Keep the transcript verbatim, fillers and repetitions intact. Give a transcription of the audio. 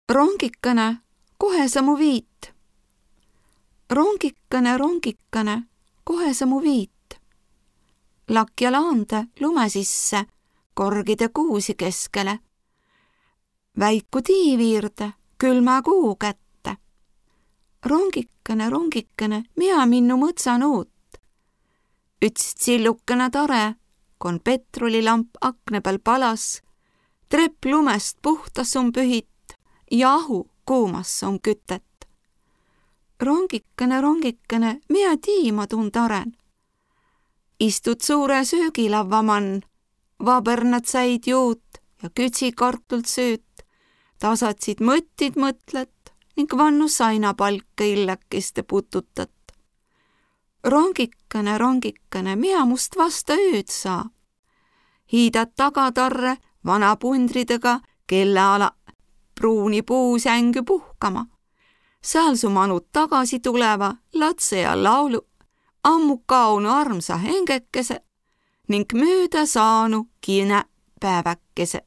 Rongikene, kohe sa mu viit. Rongikene, rongikene, kohe sa mu viit. Lakja laande lume sisse, korgide kuusi keskele. Väiku tiiviirde, külmä kuu kätte. Rongikene, rongikene, mina minnu mõtsan uut. Üts tsillukene tare, kon petrolilamp akne peal palas, trepp lumest puhtas on pühit ja ahu kuumas on kütet. Rongikene, rongikene, mina tiima tund aren. Istud suure söögilava mann, vabernad säid juut ja kütsikartult sööt, tasatsid mõttid mõtlet ning vannu sainapalka illekeste pututat. Rongikene, rongikene, mina must vasta ööd saa. Hiidad tagatarre vana pundridega kelle ala pruuni puusängy puhkama. Seal su manud tagasi tuleva latse ja laulu, ammu kaunu armsa hengekese ning mööda saanu kine päeväkese.